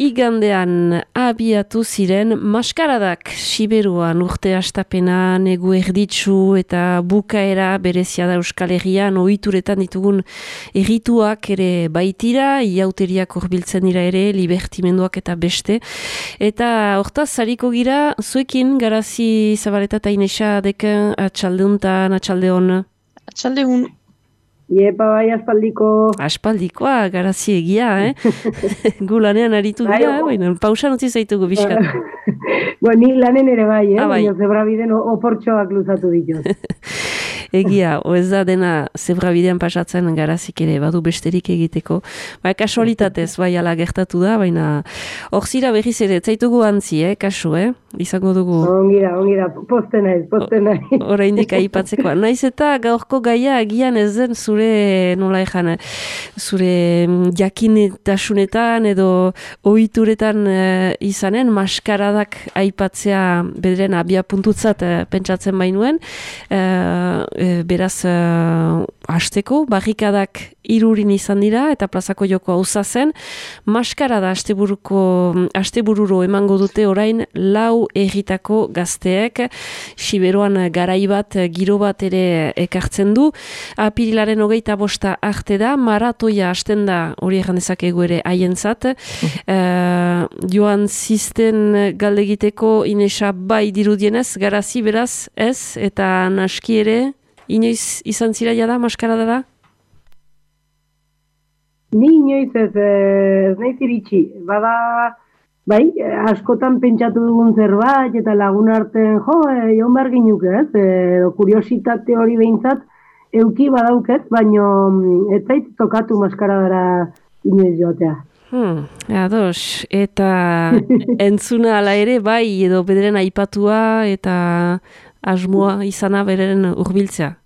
Igandean abiatu ziren maskaradak Siberuan urte astapena negu erditsu eta bukaera berezia da Euskal Herrian ohituretan ditugun errituak ere baitira, iauteriak hurbiltzen dira ere, libertimenduak eta beste. Eta hortaz zariko gira, zuekin Garazi Zabaleta eta Inesa deken atxaldeuntan, atxaldeon. Atxaldeun. Iepa bai, aspaldiko. Aspaldikoa, Garazi egia, Gu lanean aritu gira, pausan utzi zaitugu bizkat. Ni lanen ere bai, bai. Baina zebrabiden oportxoak luzatu dituz. Egia, ez da dena zebrabidean pasatzen Garazik ere, badu besterik egiteko. Kasualitatez, bai ala gertatu da, baina hor zira berriz ere, zaitugu antzi, kasu, izango dugu. Ongira, poste naiz. Oraindik aipatzeko. Naiz eta gaurko gaia agian ez den zure, nola ejan, zure jakinetasunetan edo ohituretan izanen, maskaradak aipatzea bederen abia puntutzat pentsatzen bainuen, beraz hasteko, barrikadak irurin izan dira eta plazako joko hauza zen, maskarada astebururo emango dute orain 4 erritako gazteek, Siberuan garai bat, giro bat ere ekartzen du, apirilaren 25 arte da, maratoia hasten da, hori egan dezakegu ere haientzat, joan zisten galdegiteko Inesa bai dirudienez, Garazi beraz ez, eta naski ere, inoiz izan zira jada, maskarada da? Ni inoiz ez naiz iritsi. Bada, bai, askotan pentsatu dugun zerbait, eta lagun artean, joan behar ginuk ez, kuriositate hori behintzat, euki badauket, baino ez zait tokatu maskaradara inoiz joatea. Ados, eta entzuna ala ere, bai, edo bederen aipatua eta asmoa izana beren hurbiltzea.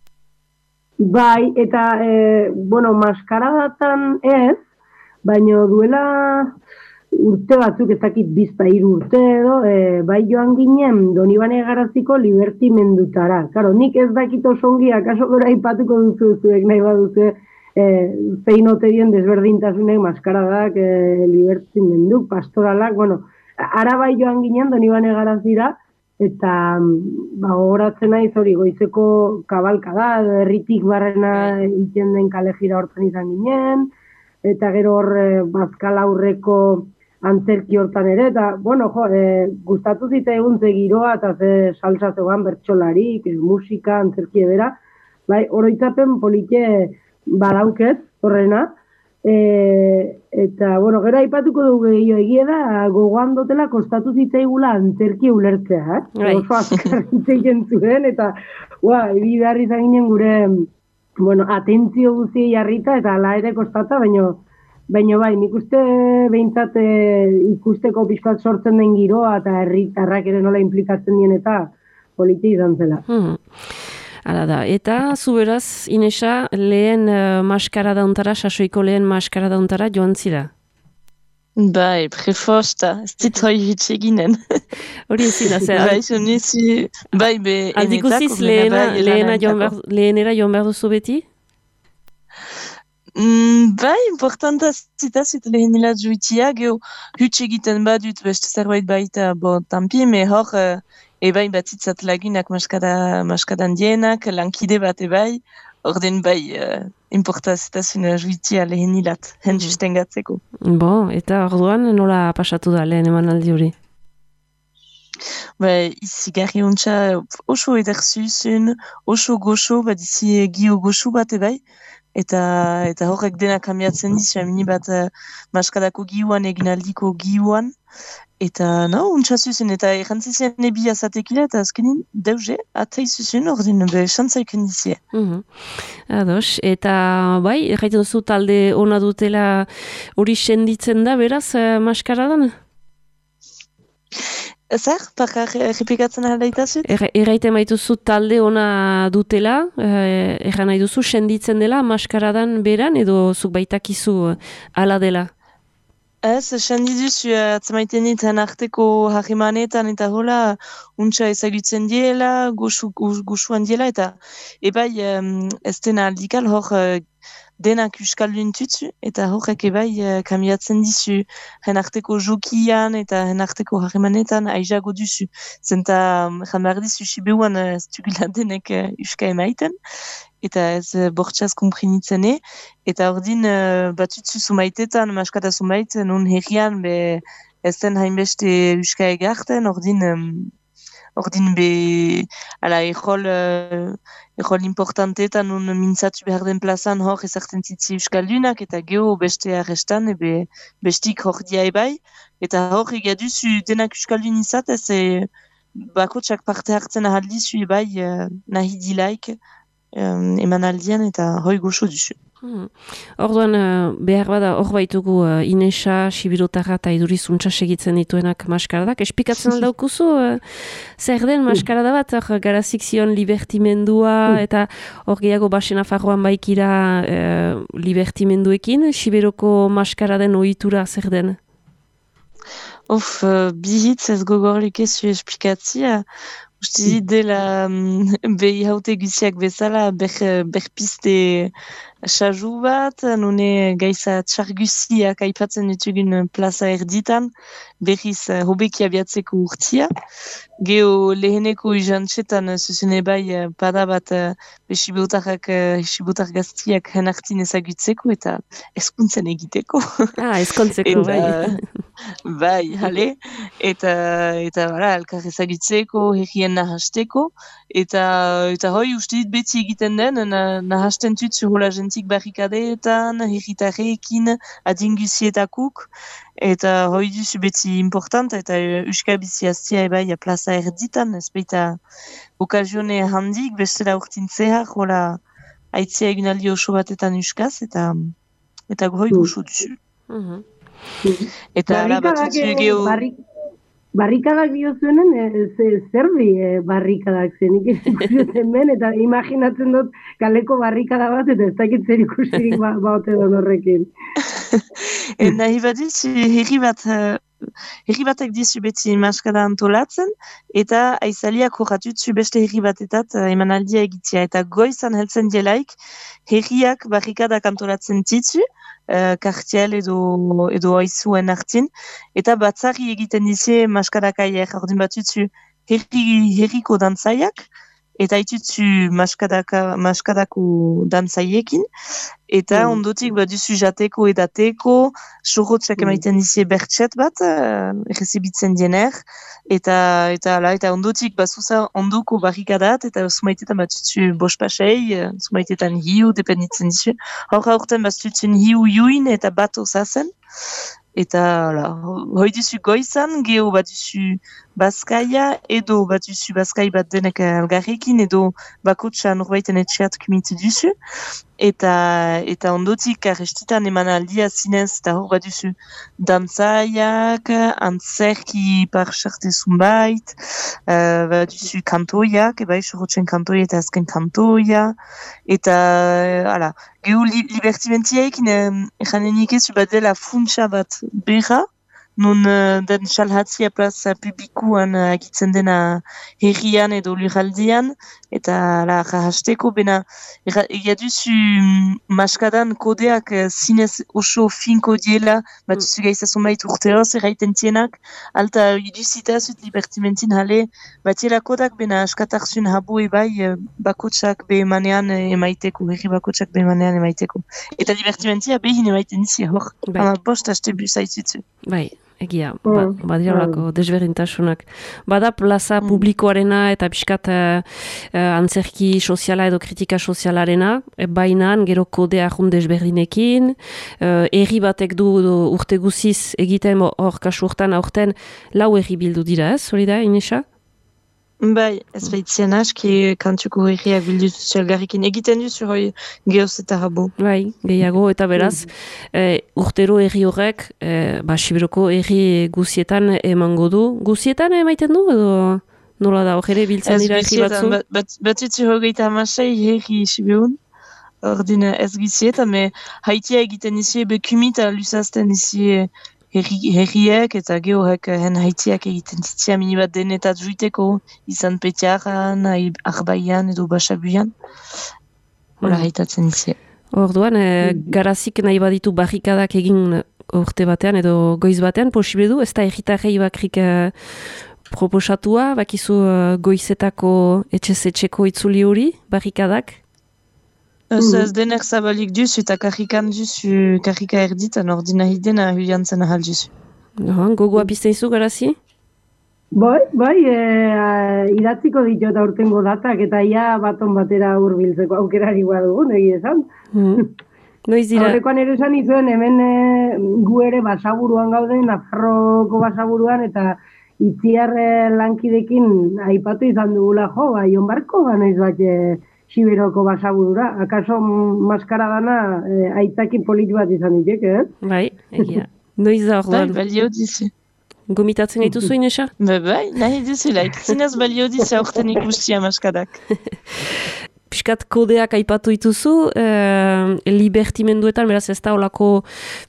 Bai, eta, maskaradatan ez, baina duela urte batzuk, ez dakit 2-3 urte edo, bai joan ginen Donibane Garaziko libertimendutara. Karo, nik ez dakit osongi, akaso gora aipatuko duzuek nahi baduzu, zein ote dien desberdintasunek maskaradak, libertimenduk, pastoralak, ara bai joan ginen Donibane Garazira, eta gogoratzen naiz hori goizeko kabalka da, herritik barrena iten den kalejira hortan izan ginen, eta gero hor bazkal aurreko antzerki hortan ere, eta, gustatu zita egun ze giroa, eta ze salsa zegoan bertsolarik, musika, antzerki edera, bai, oroitzapen polite badauket, horrena, eta, gero aipatuko dugu egia da, gogoan dotela kostatu zitzaigula antzerki ulertzea, oso azkar zitzaien zuen, eta, ebidarri izan ginen gure, atentzio guztiei jarrita, eta ala ere kostata, baina bai, nik uste behintzat ikusteko pixkat sortzen den giroa, eta herritarrak ere nola implikatzen dien, eta politi izan zela. Hala da, eta zu beraz, Inesa, lehen maskarada untara, sasoiko lehen maskarada untara joan zira? Bai, prefosta, ez dit hoi hitxeginen. Hori ezin da, zer? Bai, zonizi, bai, be... Aldikuziz lehenera joan behar duzu beti? Bai, importanta zitazit lehenilat juitia, geho hitxegiten badut beste zerbait baita, tampi, me hor... Ebai batzitzat lagunak maskadan dienak, lankide bat ebai, orden bai importazitazuna juitia lehenilat, justen gatzeko. Eta orduan nola pasatu da lehen eman aldi hori? Izi garri ontsa oso ederzuzun, oso goxo, bat izi gio goxo bat ebai, eta horrek denak kamiatzen dizu, amini bat maskadako gioan egin aldiko gioan, eta ontsa zuzen, eta errantzizien ebi azatekila, eta azkenin deuze, atei zuzen, ordin, xantzaiken dizie. Ados, eta bai, erraiten duzu talde ona dutela hori senditzen da, beraz, maskaradan? Zer? Pakar errepikatzen aldaitazut? Erraiten baituzu talde ona dutela, erran nahi duzu senditzen dela maskaradan beran, edo zuk baitakizu ala dela? Ez, sendiduzu atzamaitenetan arteko harremanetan eta hola untsa ezagutzen diela, goxuan diela, eta ebai ez dena aldikal hor denak euskaldun tutsu, eta horrek ebai kamiatzen dizu hen arteko jokian eta hen arteko harremanetan aizago duzu. Zenta, jan behar dizu Sibiuan ez dugula denek euska emaiten, eta ez bortxaz komprenitzene, eta ordin batutzu zumaitetan, maskata zumait, non herrian be ez den hainbeste euska egarten, ordin be, ala, ejol importanteetan non mintzatu behar den plazan hor ezartzen zitzi euskaldunak, eta geho beste arrestan, bestik hor dia ebai, eta hor egaduzu denak euskaldun izatez, bakotsak parte hartzen ahaldizu ebai nahi dilaik, emanaldian eta hoi goxo duzu. Orduan, behar bada, hor baitugu Inesa, Sibirotarra eta idurizuntza segitzen dituenak maskaradak. Espikatzen aldaukuzu, zer den maskarada bat, garazik zion libertimendua, eta hor gehiago basen afarroan baikira libertimenduekin, Sibiroko maskaraden ohitura zer den? Bihitz ez gogorlik ez zu esplikatzia. Uste dela behi haute guziak bezala berpiste xaju bat, nune gaiza txarguziak aipatzen ditugun plaza erditan, berriz hobeki abiatzeko urtia. Geo leheneko izantxetan zuzene bai pada bat Sibirotar gaztiak henartin ezagutzeko eta eskuntzen egiteko. Eskuntzeko, bai. Bai, hale, eta elkar ezagutzeko, herrien nahasteko, eta hoi uste dit beti egiten den, nahasten tutzu hola jentik barrikadeetan, herritarrekin, adingusietakuk, eta hoi duzu beti important, eta euskal biziaztia ebai plaza erditan, ez baita okazione handik, bestela urtintzea, hola aitzea egunaldi oso batetan euskaz, eta hoi goxo duzu. Eta ala batutzu geho... Barrikadak diozuenen, zerdi barrikadak zenik ikusten ben, eta imaginatzen dut kaleko barrikada bat, eta ez dakit zer ikusirik baute don horrekin. Nahi bat dizu, herri batek dizu beti maskada antolatzen, eta aizaliak horratutzu beste herri batetat emanaldia egitea, eta goizan heltzen dielaik, herriak barrikadak antolatzen titzu, kartiel edo aizuen hartin, eta batzari egiten dizie maskadakaiak, ordin batutzu herriko dantzaiak, eta itutzu maskadako dantzaiekin, eta ondotik baduzu jateko edateko, sorrotzak emaiten dizie bertxet bat, errezibitzen diener, eta ondotik bazuza ondoko barrikadat, eta zumaitetan batutzu bospasei, zumaitetan hiu, dependitzen dizu. Horten batutzu hiu juin eta bat osazen, eta hoi duzu goizan, geho baduzu Bazkaia, edo baduzu Bazkai bat denek algarrekin, edo bakotxa norbaiten etxeat kumitu duzu, eta ondotik arrestitan eman aldia zinez, eta hor baduzu dantzaiak, antzerki parxarte zunbait, baduzu kantoiak, ebai sorrotzen kantoia eta azken kantoia, eta geho libertimentiaekin janenik ez bat dela funtsa bat berra, nun den salhatzia plaza publikuan agitzen dena herrian edo lurraldian, eta jahasteko, bena egaduzu maskadan kodeak zinez oso finko diela, batuzu gaizazun bait urteoz erraiten tienak, alta iduzitazut libertimentin hale, batiela kodak bena askatarzun habu ebai bakotsak behemanean emaiteko, herri bakotsak behemanean emaiteko. Eta libertimentia behin emaiten dizia hor, ama bost haste buzaitzutu. Bai. Egia, badirolako desberdintasunak. Bada plaza publikoarena eta pixkat antzerki soziala edo kritika sozialarena, bainan gero kodea jun desberdinekin, erri batek du urte guziz egiten hor kasu urtan aurten lau erri bildu dira, ez? Hori da, Inesa? Bai, ez baitzien aski kantuko herriak bildu zelgarrikin egiten duzu hoi geoz eta rabo. Bai, gehiago eta beraz, urtero herri horrek, Sibiroko herri guzietan emango du. Guzietan emaiten du edo nola da, hor ere biltzen dira herri batzu? Batutzu hogeita amasei herri Sibirun, ordin ez guzietan, me haitia egiten izi bekumita lusazten izi herriek eta gehoek hen haitiak egiten zitzia minibat denetat juiteko, izan petiaran, arbaian edo basabuian. Hola haitatzen izi. Orduan, garazik nahi baditu barrikadak egin urte batean edo goiz batean, posible du, ez da egitarrei bakrik proposatua, bakizu goizetako etxez-etxeko itzuli hori, barrikadak? Ez denek zabalik duzu eta karrikan duzu, karrika erditan ordinahi dena huiantzen ahal duzu. Gogoa pizten izu garazi? Bai, idatziko ditut aurtengo datak eta ia baton batera hurbiltzeko aukerari dugun, egia esan. Noiz dira? Aurrekoan ere esan izuen, hemen gu ere basaburuan gaude, Nafarroko basaburuan, eta itziar lankidekin aipatu izan dugula Jon Barko, noiz bat Siberoko basaburura. Akaso maskara dana aitzaki polit bat izan ditek, Bai, egia. Noiz da orduan? Bai, balio dizu. Gomitatzen gaitu zuen, Inesa? Bai, nahi duzulaik. Zinez balio dizu aurten ikustia maskadak. Piskat kodeak aipatu dituzu, libertimenduetan, beraz ez da olako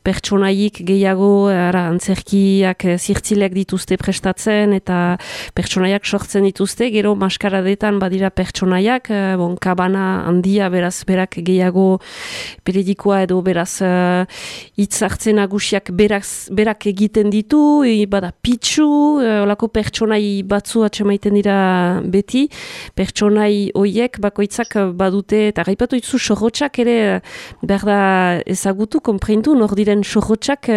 pertsonaik gehiago, antzerkiak zirtzileak dituzte prestatzen, eta pertsonaiak sortzen dituzte, gero maskaradetan badira pertsonaiak, kabana handia, beraz berak gehiago periodikoa edo beraz hitz hartzen nagusiak berak egiten ditu, bada pitsu, olako pertsonai batzu atxemaiten dira beti, pertsonai hoiek bakoitzak badute, eta gaipatu ditzu sorrotxak ere behar da ezagutu, konpreintu, nor diren sorrotxak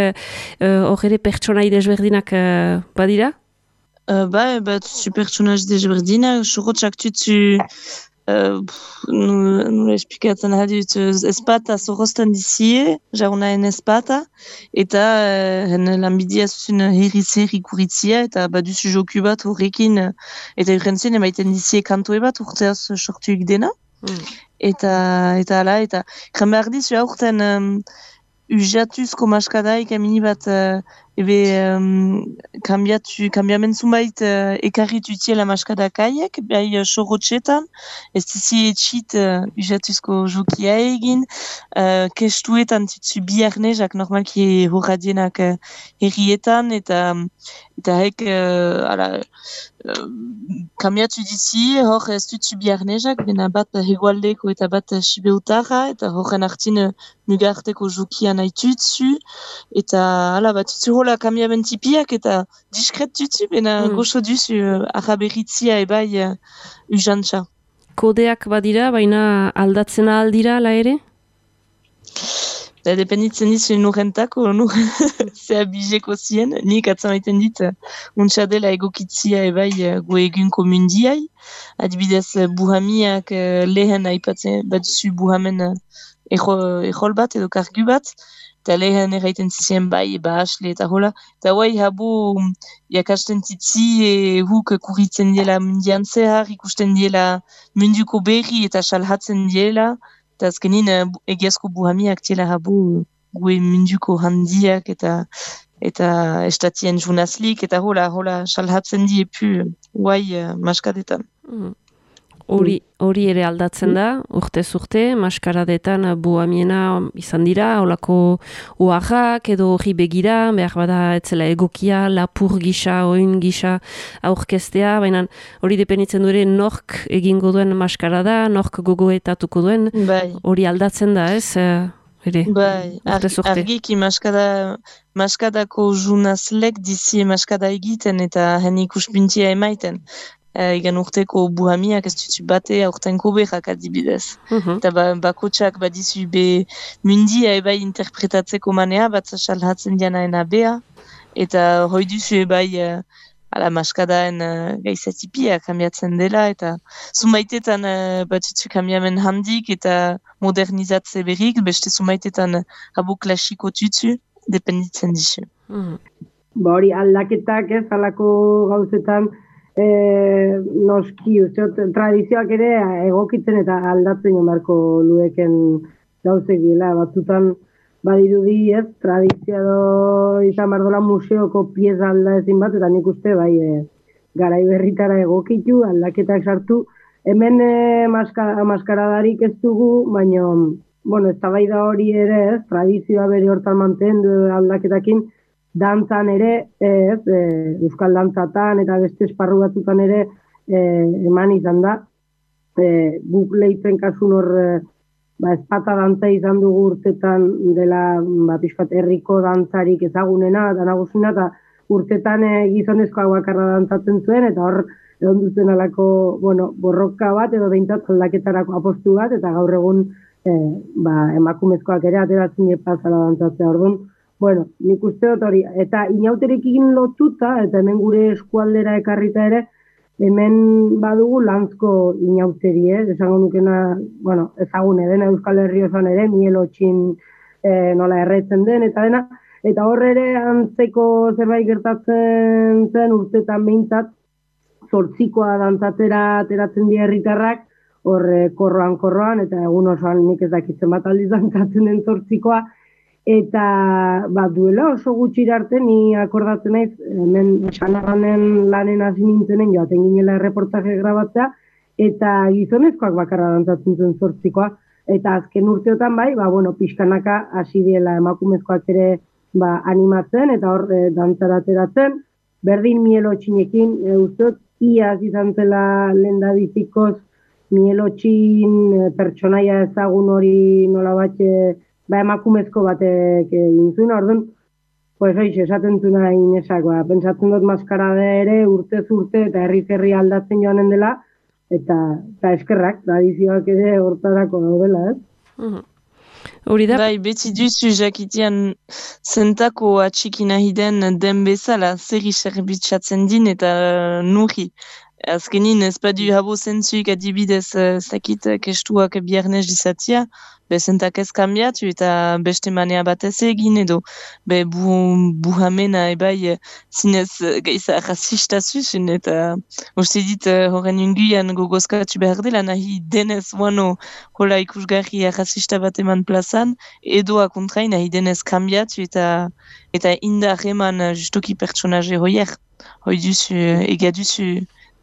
hor ere pertsonai desberdinak badira? Bat zu pertsonaz desberdinak, sorrotxak tutzu nola esplikatzen hadut, espata zorrozten dizie, jarunaen espata, eta lanbidea zuzun herri kuritzia, eta baduzu joku bat horrekin, eta urrentzen emaiten dizie kantoe bat urteaz sortuik dena. Eta ala, eta kran behar dizu aurten ujatuzko maskadaik amini bat kambiamen zunbait ekarritu tiela maskadakaiek, bai sorrotxetan, ez dizi etxit ujatuzko jokia egin, kestuetan titzu biarnezak normalki horradienak herrietan, eta hek kambiatu dizi, hor ez dutzu biarnezak, bena bat hegoaldeko eta bat sibeutarra, eta horren hartin mugarteko jokia nahi tutzu, eta bat tutzu hola kambiamen tipiak, eta diskret tutzu, bena goxo duzu araberitzia ebai ujantza. Kodeak badira, baina aldatzen aldira, ala ere? Dependitzen dizu nurrentako, zea bizeko zien, nik atzamaiten dit, untsa dela egokitzia ebai gu egunko mundiai, adibidez buhamiak lehen aipatzen, bat zu buhamen ejol bat edo kargu bat, eta lehen erraiten zizien bai, asle eta hola, eta guai habu jakasten titzi huk kuritzen diela mundian zehar, ikusten diela munduko berri eta salhatzen diela, eta azkenin egiazko buhamiak tiela habu gue munduko handiak eta estatien junazlik, eta hola salhatzen diepu guai maskadetan. Hori ere aldatzen da, urtez urte, maskaradetan buhamiena izan dira, holako oarrak edo hori begira, behar bada etzela egokia, lapur gisa, oin gisa aurkeztea, baina hori dependitzen du ere nork egingo duen maskarada, nork gogoetatuko duen, hori aldatzen da, ez? Bai, argiki maskadako junazlek dizi maskada egiten eta hen ikuspuntia emaiten. Egan urteko buhamiak ez dutu bate aurtenko behak adibidez. Eta bakotxak badizu be mundia ebai interpretatzeko manea, bat salhatzen dianaena bea, eta hoi duzu ebai maskadaen gaizatipia kambiatzen dela, eta zunbaitetan batutzu kambiamen handik eta modernizatze berrik, beste zunbaitetan habu klasiko tutzu, dependitzen dizu. Hori aldaketak ez, alako gauzetan, noski, tradizioak ere egokitzen eta aldatzen jomarko lueken gauzek dira. Batzutan badirudi ez, tradizio izan bardola museoko pieza alda ezin bat, eta nik uste garai berritara egokitu, aldaketak sartu. Hemen maskaradarik ez dugu, baina eztabaida hori ere ez, tradizioa bere hortan mantendu aldaketakin, dantzan ere, euskal dantzatan eta beste esparru batzutan ere eman izan da. Guk lehitzen kasun hor espata dantza izan dugu urtetan dela pixkat herriko dantzarik ezagunena eta nagusina, eta urtetan gizonezkoak bakarra dantzatzen zuen, eta hor egon duzen alako, borroka bat edo behintzat aldaketarako apostu bat, eta gaur egun emakumezkoak ere ateratzen epazala dantzatzea. Orduan, nik uste dut hori, eta inauterekin lotuta, eta hemen gure eskualdera ekarrita ere, hemen badugu lanzko inauteri, esango nukena, ezagune dena Euskal Herri osoan ere, mielotxin nola erretzen den, eta dena, eta horre ere antzeko zerbait gertatzen zen urtetan behintzat, zortzikoa dantzatera ateratzen dira herritarrak, hor korroan, eta egun osoan nik ez dakitzen bat aldiz dantzatzen den zortzikoa, eta duela oso gutxi arte ni akordatzen naiz, hemen Xanaganen lanen hasi nintzenen joaten ginela erreportaje grabatzea, eta gizonezkoak bakarra dantzatzen zuen zortzikoa, eta azken urteotan pixkanaka hasi diela emakumezkoak ere animatzen, eta hor dantzara ateratzen, berdin mielotxinekin, usteot, iaz izan zela lendabizikoz mielotxin pertsonaia ezagun hori nola batxe emakumezko batek egin zuen, orduan, esaten zuen Inesak, pentsatzen dut maskarada ere urtez urte eta herri aldatzen joanen dela, eta eskerrak, tradizioak ere hortarako daudela, ez? Hori da? Bai, beti duzu jakitean zentako atxiki nahi den bezala, zerri zerbitzatzen din eta nuri. Azkenin ez badu habo zentzuik adibidez zakit kestuak biarnez izatia, zentak ez kambiatu eta beste manea batez egin edo buhamena ebai zinez gaiza rasista zuzen eta uste dit horren unguian gogozkatu behar dela nahi denez hola ikusgarri rasista bat eman plazan edoa kontrai nahi denez kambiatu eta indar eman justoki pertsonaje hoier hoi duzu ega duzu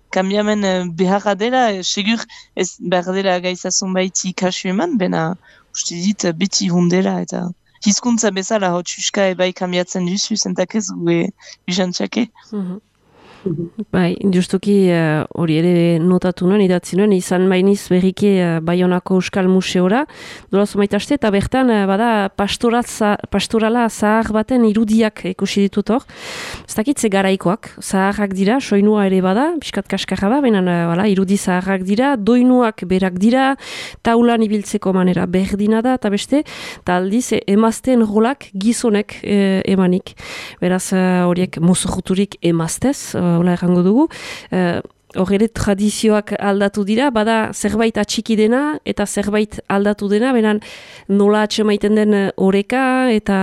kambiamen beharra dela, segur ez behar dela gaizazun baiti kasu eman, bena uste dit beti hundela eta hizkuntza bezala hau txuska ebai kambiatzen duzu, zentak ez gue bizantxake. Bai, justuki hori ere notatu nuen, idatzi nuen, izan bainiz berriki Baionako Euskal Museora, dolazu maitaste, eta bertan bada pastorala zahar baten irudiak ikusi ditut hor. Ez dakitze garaikoak, zaharrak dira, soinua ere bada, piskat kaskarra da, baina irudi zaharrak dira, doinuak berak dira, taulan ibiltzeko manera berdina da, eta beste, eta aldiz emazteen rolak gizonek emanik. Beraz, horiek mozojuturik emaztez, hola errango dugu, hor ere tradizioak aldatu dira, bada zerbait atxiki dena eta zerbait aldatu dena, beran nola atxemaiten den oreka eta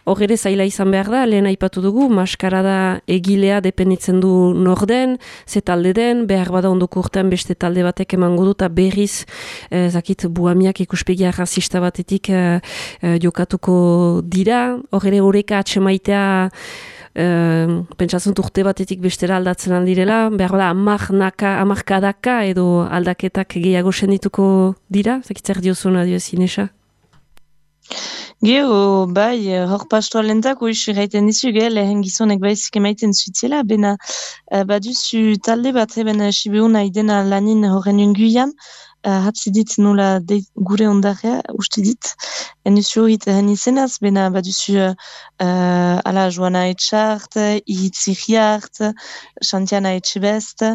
hor ere zaila izan behar da, lehen aipatu dugu, maskarada egilea dependitzen du norden, ze talde den, behar bada ondoko urtean beste talde batek emango du, eta berriz, zakit, buhamiak ikuspegia rasista batetik jokatuko dira, hor ere oreka atxemaitea pentsatzen urte batetik bestera aldatzen aldirela, behar da amarkadaka edo aldaketak gehiago sendituko dira? Zakitzer diozuna Inesa? Gero, bai, hor pastoalentako isu gaiten dizu, lehen gizonek baizik emaiten zuitela, bena baduzu talde bat eben sibeuna idena lanin horren unguian, hatzi dit nola gure ondarea, uste dit, enuzu hit hen izenaz, bena baduzu ala Joana Etxart, Ihitziriart, Xantiana Etxebest,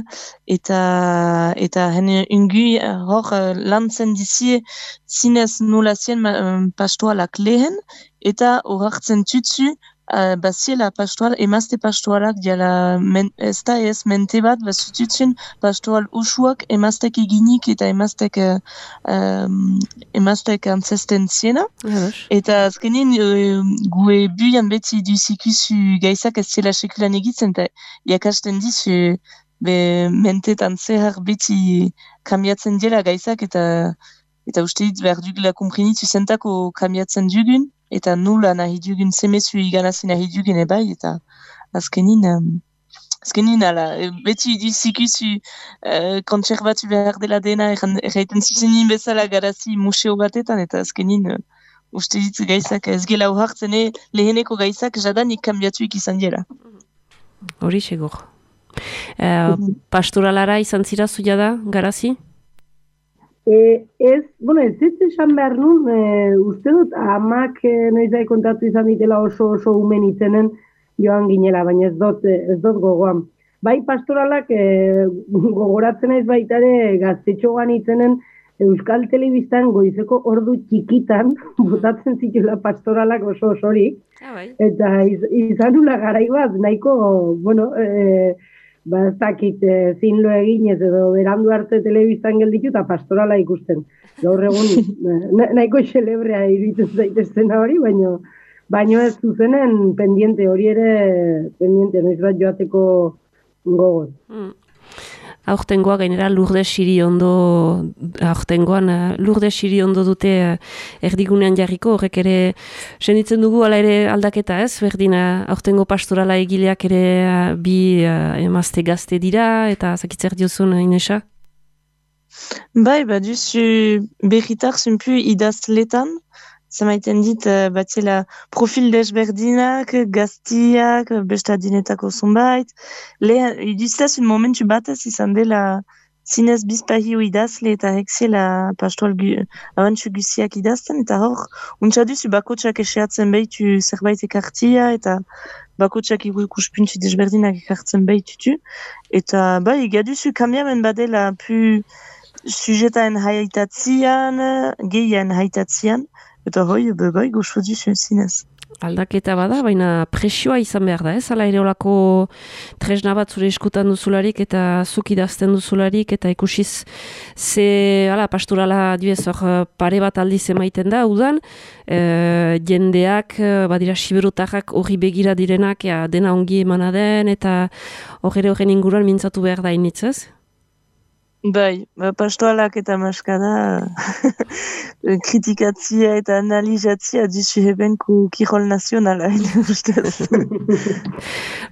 eta hen ungui hor lantzen dizie zinez nola zien pastoalak lehen, eta hor hartzen tutsu baziela pastoal, emazte pastoalak diala ez da ez mente bat, bazututsun pastoal usuak emaztek eginik eta emaztek antzesten ziena. Eta azkenin gue buian beti duzikusu gaizak ez zela sekulan egitzen, eta jakasten dizu mentetan zehar beti kambiatzen dela gaizak, eta uste dit behar dugula komprenitu zentako kambiatzen dugun, eta nula nahi dugun semezu iganazi nahi dugun ebai, eta azkenin ala, beti duzikusu kontserbatu behar dela dena, erraiten zuzenin bezala garazi museo batetan, eta azkenin uste dit gaizak ez gela uhartzen leheneko gaizak jadanik kambiatuik izan dira. Hori segur. Pastoralara izan zira zuia da, garazi? Ez esan behar nun, uste dut, amak noiz kontatu izan ditela oso umen itzenen joan ginela, baina ez dut gogoan. Bai pastoralak gogoratzen naiz baita ere gaztetxoan itzenen Euskal Telebistan goizeko ordu txikitan botatzen zituela pastoralak oso osorik. Eta izan nula garai bat, nahiko, ez dakit zinlo eginez edo berandu arte telebistan gelditu eta pastorala ikusten. Gaur egun nahiko xelebrea iruditzen zaitezten hori, baino ez zuzenen pendiente hori ere pendiente, noiz bat joateko gogoz. Aurtengoa gainera Lourdes Siriondo dute erdigunean jarriko, horrek ere senditzen dugu ala ere aldaketa ez, berdina aurtengo pastorala egileak ere bi emazte gazte dira, eta zakitzer diozun Inesa? Bai, duzu berritar zunpu idazletan, zamaiten dit batzela profil desberdinak, gaztiak, bestadinetako zonbait. Iduztaz un momentu batez izan dela zinez bizpahio idazle eta hekzela pastoral abantxu guziak idazten, eta hor, untsa duzu bakotxak eseatzen behitu zerbait ekartia, eta bakotxak ikuspuntu desberdinak ekartzen behitutu. Eta bai, gaduzu kambiamen badela pu sujetaen haitatzian, gehian haitatzian, eta hoi, bai, goxo duzu zinez. Aldaketa bada, baina presioa izan behar da, ez? Hala ere olako tresna bat zure eskutan duzularik eta zuk idazten duzularik eta ikusiz pastorala dibez hor pare bat aldiz emaiten da, udan, jendeak, badira siberotarrak horri begira direnak, dena ongi emana den eta horren inguruan mintzatu behar da initzez? Bai, pastoalak eta maskada kritikatzia eta analizatzia duzu hebenku kirol nazionala.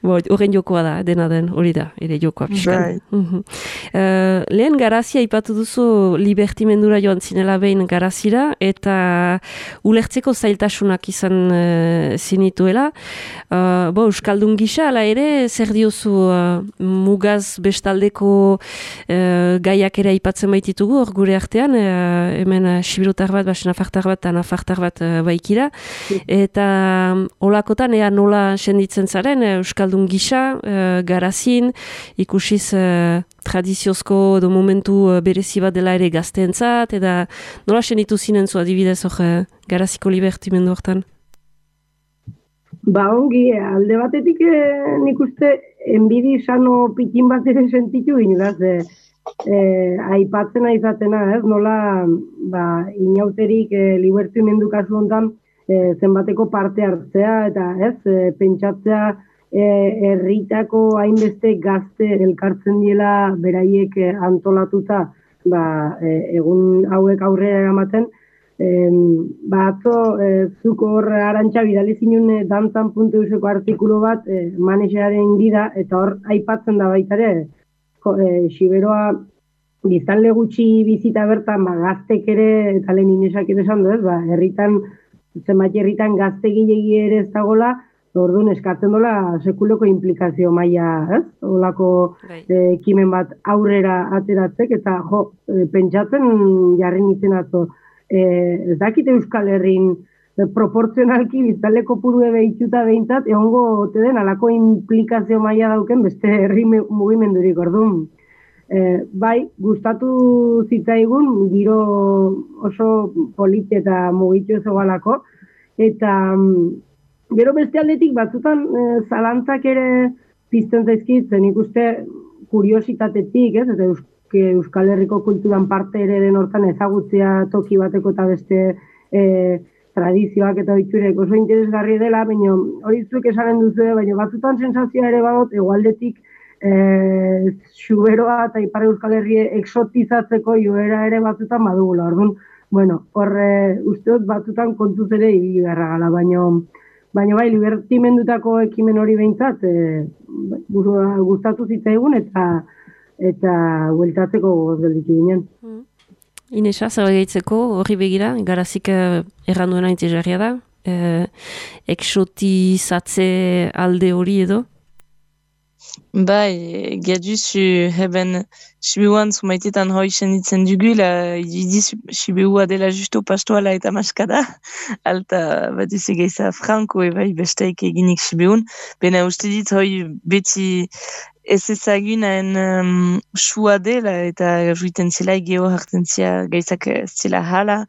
Horren jokoa da, dena den, hori da, ere jokoa pixkan. Lehen garazia ipatu duzu libertimendura joan zinela behin garazira, eta ulertzeko zailtasunak izan zinituela. Euskaldun gisa, ala ere, zer diozu mugaz bestaldeko gaiak ere aipatzen baititugu, hor gure artean, hemen sibirotar bat, nafartar bat eta nafartar bat baikira, eta olakotan ea nola senditzen zaren, Euskaldun gisa, garazin, ikusiz tradiziozko edo momentu berezi bat dela ere gazteentzat, eta nola senditu zinen zu adibidez hor garaziko libertimendu hortan? Ongi, alde batetik nik uste enbidi sano pikin bat ere sentitu ginelaz, aipatzen aizatena, ez? Nola inauterik libertimendu kasu hontan zenbateko parte hartzea eta pentsatzea herritako hainbeste gazte elkartzen diela beraiek antolatuta egun hauek aurrera eramaten. Atzo zuko hor arantxa bidali zinun dantzan.euseko artikulu bat manexearen gida eta hor aipatzen da baita ere Siberoa biztanle gutxi bizita bertan gaztek ere eta lehen Inesak ere esan du, herritan zenbait herritan gazte gilegi ere ez dagoela, orduan eskatzen dola sekuleko implikazio maila, ez? Olako ekimen bat aurrera ateratzek eta pentsatzen jarri nintzen atzo. Ez dakit Euskal Herrin proportzionalki biztanle kopurue behituta behintzat, egongo ote den alako implikazio maila dauken beste herri mugimendurik, orduan. Bai, gustatu zitzaigun, giro oso polite eta mugitu ez egalako, eta gero beste aldetik batzutan zalantzak ere pizten zaizkit, zen ikuste kuriositatetik, ez? Eta Euskal Herriko kulturan parte ere den hortan ezagutzea toki bateko eta beste tradizioak eta ohiturek oso interesgarri dela, baina hori zuek esanen duzu, baina batzutan sensazioa ere badot, egualdetik Xuberoa eta Ipar Euskal Herri exotizatzeko joera ere batzutan badugula. Orduan, uste dut batzutan kontuz ere ibili beharra gala, baina bai, libertimendutako ekimen hori behintzat gustatu zitzaigun eta bueltatzeko gogoz gelditu ginen. Inesa, zer gaitzeko horri begira, garazik erranduena intezarria da, exotizatze alde hori edo? Bai, gaduzu heben sibiuan zumaitetan hoi senditzen dugula, idi sibiua dela justo pastoala eta maskada, alta bat geiza franko bai besteik eginik sibiun, bena uste dit hoi beti ez ezagunaen sua dela eta juiten zela geho hartzen zia gaizak zela hala,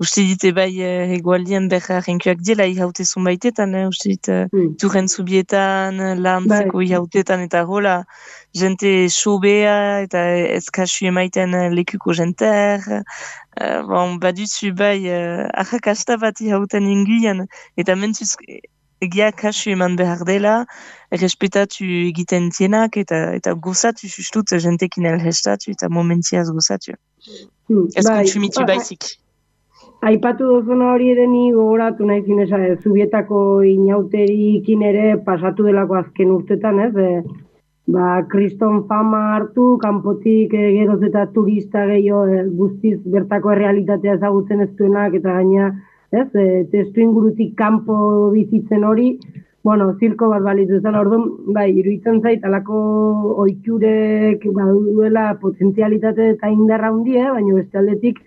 uste dit bai egualdian berra renkuak dela ihaute zunbaitetan, uste dit turren zubietan, lantzeko ihautetan eta hola, jente sobea eta ez kasu emaiten lekuko jenter, baduzu bai ahakasta bat ihauten inguian, eta mentuz egia kasu eman behar dela, respetatu egiten tienak eta gozatu justut jentekin elhestatu eta momentiaz gozatu. Ez kontsumitu baizik. Aipatu duzuna hori ere ni gogoratu nahi zinesa, Zubietako inauterikin ere pasatu delako azken urtetan, ez? Kriston fama hartu, kanpotik geroz eta turista gehiago guztiz bertako errealitatea ezagutzen ez duenak eta gaina, ez? Testu ingurutik kanpo bizitzen hori, zirko bat balitu zen, orduan, iruditzen zait, alako ohiturek baduela potentzialitate eta indarra hundi, baina beste aldetik,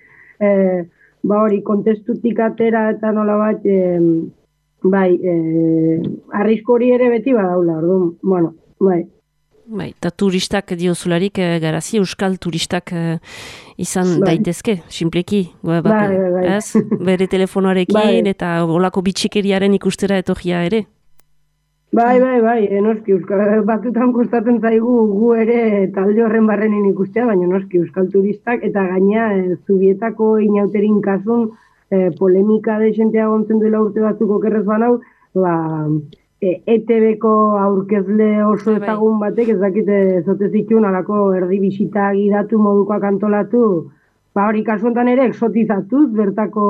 hori, kontestutik atera eta nola bat, arrisko hori ere beti badaula, orduan, eta turistak diozularik garazi, euskal turistak izan daitezke, simpleki, bere telefonoarekin eta olako bitxikeriaren ikustera etorria ere. Noski, batutan kostatzen zaigu gu ere talde horren barrenin ikustea, baina noski, euskal turistak, eta gaina Zubietako inauterin kasun polemika de jentea gontzen duela urte batzuk okerrez banau, ETB-ko aurkezle oso ezagun batek, ez dakite zote zituen alako erdi bisita gidatu modukoak antolatu, hori kasuentan ere exotizatuz, bertako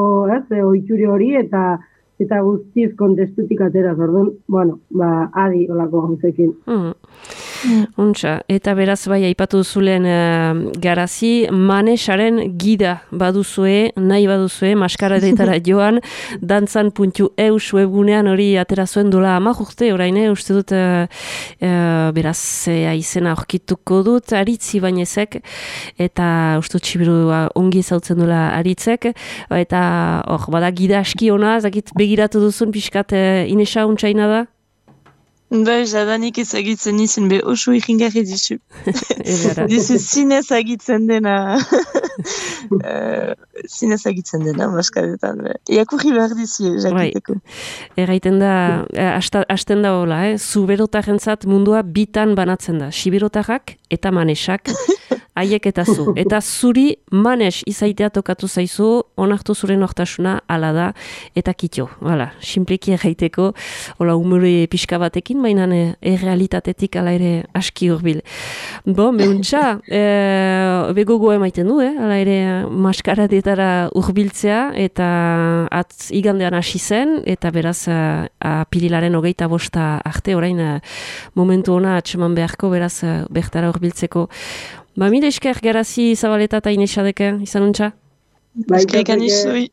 ohiture hori, eta guztiz kontestutik ateraz, orduan, adi olako gauzekin. Untxa, eta beraz bai aipatu zulen garazi, manesaren gida baduzue, nahi baduzue, maskaradetara joan, dantzan.eus webgunean hori atera zuen dola 10 urte, orain, uste dut beraz izena aurkituko dut, aritzi bainezek, eta uste dut txibirua ongi zautzen dola aritzek, eta bada gida aski ona, zakit begiratu duzun pixkat Inesa untxaina da? Jadanik ezagitzen izan be oso ikingarri dizu. Dizu zinez agitzen dena. Zinez agitzen dena, maskadetan. Iakurri behar dizu, jakiteko. Erraiten da, hasten da hola, zuberotarrentzat mundua bitan banatzen da. Siberotarrak eta manesak, haiek eta zu. Eta zuri manes izaitea tokatu zaizu, onartu zure nortasuna, ala da, eta kitio. Hala, simpleki erraiteko, hola, umore pixka batekin, baina errealitatetik ala ere aski hurbil. Meuntza, begogo emaiten du, ala ere maskaradetara hurbiltzea, eta igandean hasi zen, eta beraz apirilaren 25 arte, orain momentu ona atseman beharko, beraz bertara hurbiltzeko. Mila esker garazi Zabaleta eta Inesa deke, izan untxa? Eskerrik anizui.